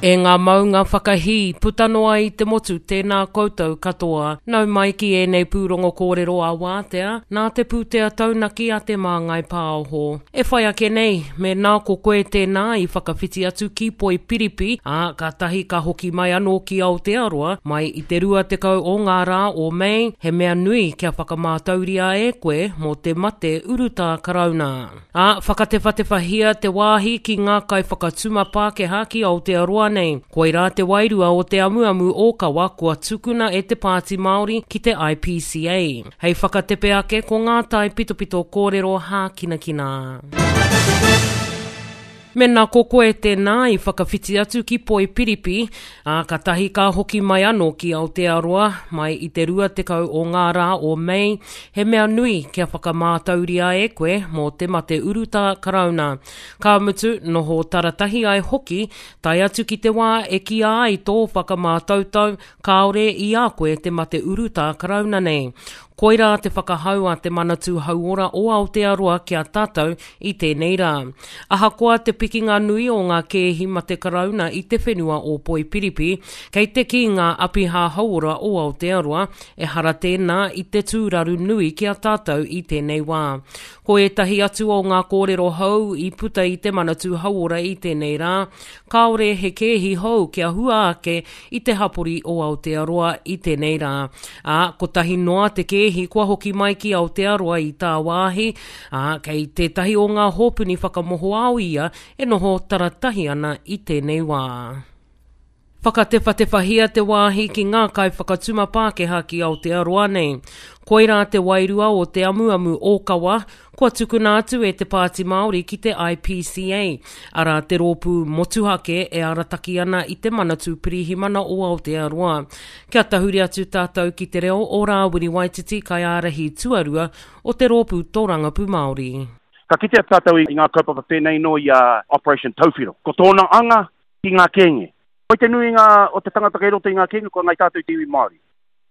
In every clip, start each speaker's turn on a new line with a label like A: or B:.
A: E ngā maunga whakahī, puta noa i te motu, tēnā koutou katoa. Nau mai ki ēnei pūrongo kōrero ā-wātea, nā te pūtea taunaki a Te Māngai Pāoho. E whai ake nei, mēnā ko koe tēnā i whakawhiti atu ki Poipiripi, ā, kātahi ka hoki mai anō ki Aotearoa, mai i te 20 o ngā rā o Mei, he mea nui kia whakamātauria e koe mō te mate urutā Karauna. Ā, whakatewhatewhahia te wāhi ki ngā kaiwhakatuma Pākehā ki Aotearoa nei. Koirā te wairua o te amuamu ōkawa kua tukuna e te Pāti Māori ki te IPCA. Hei whakatepe ake ko ngā taipitopito kōrero hākinakina. Mena ko koe tēnā i whakawhiti atu ki Poipiripi, ā, katahi ka hoki mai anō ki Aotearoa, mai i te 20 o ngā rā o Mei, he mea nui kia whakamātauria e koe mō te mate urutā Karauna. Ka mutu, noho taratahi ai hoki, tae atu ki te wā e kīa ai tō whakamātautau kāore i a koe te mate urutā Karauna nei. Koirā te whakahau a Te Manatū Hauora o Aotearoa ki a tātou i tēnei rā. Ahakoa te pikinga nui o ngā kēhi mate karauna i te whenua o Poipiripi, kei te kī ngā apiha hauora o Aotearoa, ehara tēnā i te tūraru nui ki a tātou i tēnei wā. Ko ētahi atu o ngā kōrero hou i puta i Te Manatū Hauora i tēnei rā, kāore he kēhi hou kia hua ake i te hapori o Aotearoa i tēnei rā. Ā, kotahi noa te kēhi kua hoki mai ki Aotearoa i tāwāhi, ā, kei tētahi o ngā hōpuni whakamohoao ia e noho taratahi ana i tēnei wā. Whakatewhatewhahia te wāhi ki ngā kaiwhakatuma Pākehā ki Aotearoa nei. Koirā te wairua o te amuamu ōkawa kua tukuna atu e te Pāti Māori ki te IPCA, arā te rōpū motuhake e arataki ana i te Manatū Pirihimana o Aotearoa. Kia tahuri atu tātou ki te reo o Rāwiri Waititi kaiārahi tuarua o te Rōpū Tōrangapū Māori.
B: Ka kitea tātou i ngā kaupapa pēnei nō i a Operation Tauwhiro. Ko tōna anga, ki ngā kēnge. Koi te nuinga o te tangata kei roto i ngā kēnge kua ngai tātou i te iwi Māori.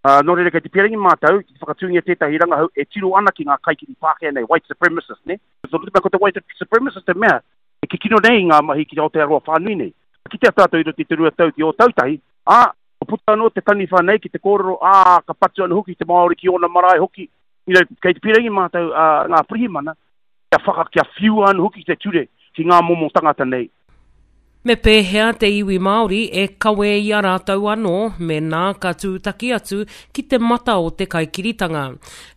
B: Ā, nō reira kei te pīrangi mātou ki te whakatūngia tētahi rangahau e tiro ana ki ngā kaikiri Pākehā nei, white supremacists, nē? Nō te mea ko te white supremacist te mea e kikino nei i ngā mahi ki Aotearoa whānui nei. Ka kitea tātou i roto i te 2 tau ki Ōtautahi, ā, kua puta anō te taniwha nei ki te kōrero, ā, ka patu anō hoki te Māori ki ōna marae hoki. You know, kei te pīrangi mātou, ā, ngā pirihimana, kia whaka, kia whiua anō hoki te ture ki ngā momo tangata nei.
A: Me pēhea te iwi Māori e kawe i a rātou anō mēnā ka tūtaki atu ki te mata o te kaikiritanga?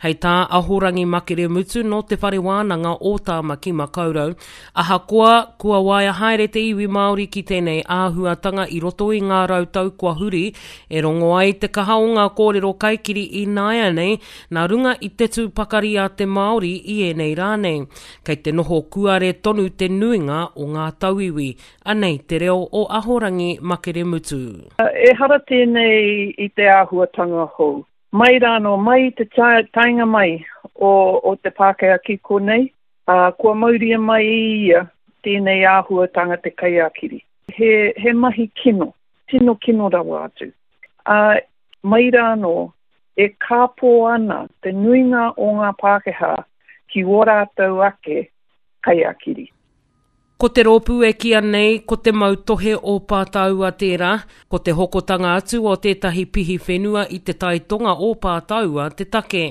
A: Hei tā Ahorangi Makere Mutu nō Te Whare Wānanga o Tāmaki Makaurau, ahakoa kua waia haere te iwi Māori ki tēnei āhuatanga i roto i ngā rautau kua huri, e rongo ai te kaha o ngā kōrero kaikiri ināianei nā runga i te tū pakari a te Māori i ēnei rā nei. Kei te noho kuare tonu te nuinga o ngā tauiwi. Anei te reo o Ahorangi Makeremutu.
C: Ehara tēnei i te āhuatanga hou. Mai rānō, mai i te taenga mai o te Pākehā ki konei, kua mauria mai e ia tēnei āhuatanga te kaiākiri. He mahi kino, tino kino rawa atu. Ā, mai rānō, e kāpō ana te nuinga o ngā Pākehā ki ō rātou ake kaiākiri.
A: Ko te rōpū e kīa nei ko te mautohe o Pātaua tērā, ko te hokotanga atu o tētahi pihi whenua i te tai tonga o Pātaua te take.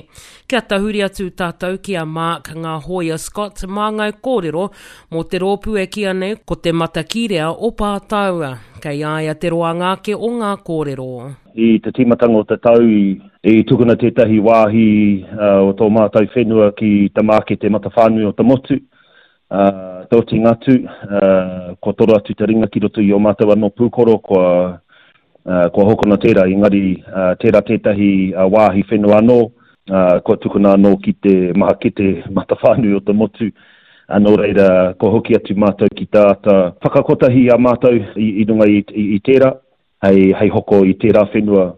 A: Kia tahuri atu tātou ki a Mark Ngā Hōia Scott māngai kōrero mō te rōpū e kīa nei ko te Matakīrea o Pātaua. Kei a ia te roanga ake o ngā kōrero.
D: I te tīmatanga o te tau i tukuna tētahi wāhi o tō mātou whenua ki te mākete matawhānui o te motu, te otinga atu, kua toro atu te ringa ki roto i ō mātou anō pūkoro, kua, kua hokona tērā, engari tērā tētahi wāhi whenua anō, kua tukuna anō ki te mākete matawhānui o te motu, nō reira, kua hoki atu mātou ki te āta whakakotahi i a mātou i runga i tērā. Hei, hei hoko i tērā whenua.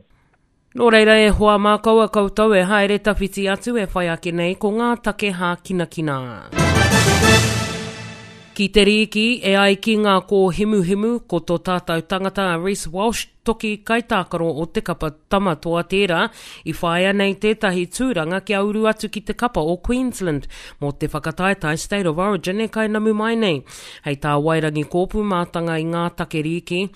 A: Nō reira e hoa mā kaua koutou e haere tawhiti atu e whai ake nei ko ngā take hākinakina. Ki te rīki, e ai ki ngā kōhimuhimu, ko tō tātou tangata a Reece Walsh, toki kaitākaro o te kapa Tama Toa tērā, i whāia nei tētahi tūranga kia uru atu ki te kapa o Queensland mō te whakataetae State of Origin e kainamu mai nei. Hei tā Wairangi Kōpū mātanga i ngā take rīki,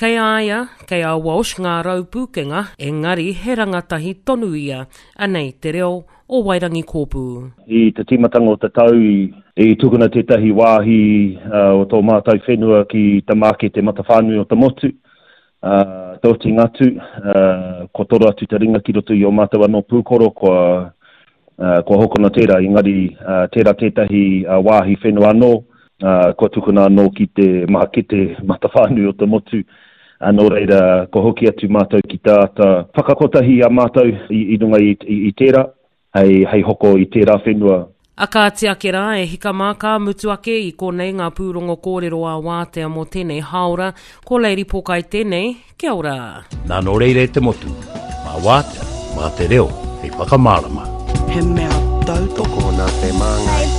A: Kei a ia, kei a Walsh ngā raupūkenga, engari he rangatahi tonu ia. Anei te reo o Wairangi Kōpū.
D: I te tīmatanga o te tau i tukuna tētahi wāhi o tō mātou whenua ki te mākete matawhānui o te motu, te otinga atu, kua toro atu te ringa ki roto i ō mātou anō pūkoro, kua, kua hokona tērā, engari tērā tētahi wāhi whenua anō, kua tukuna anō ki te mākete matawhānui o te motu, nō reira, kua hoki atu mātou ki te āta whakakotahi i a mātou i runga i tērā, hei, hei hoko i tērā whenua.
A: A kāti ake rā, e hika mā, ka mutu ake i konei ngā pūrongo kōrero ā-wātea mō tēnei hāora. Ko Lady Pōkai tēnei, kia ora.
E: Nā nō reira e te motu, mā Wātea, mā te reo hei whakamārama.
F: He mea tautoko.
G: Tokona te māngai.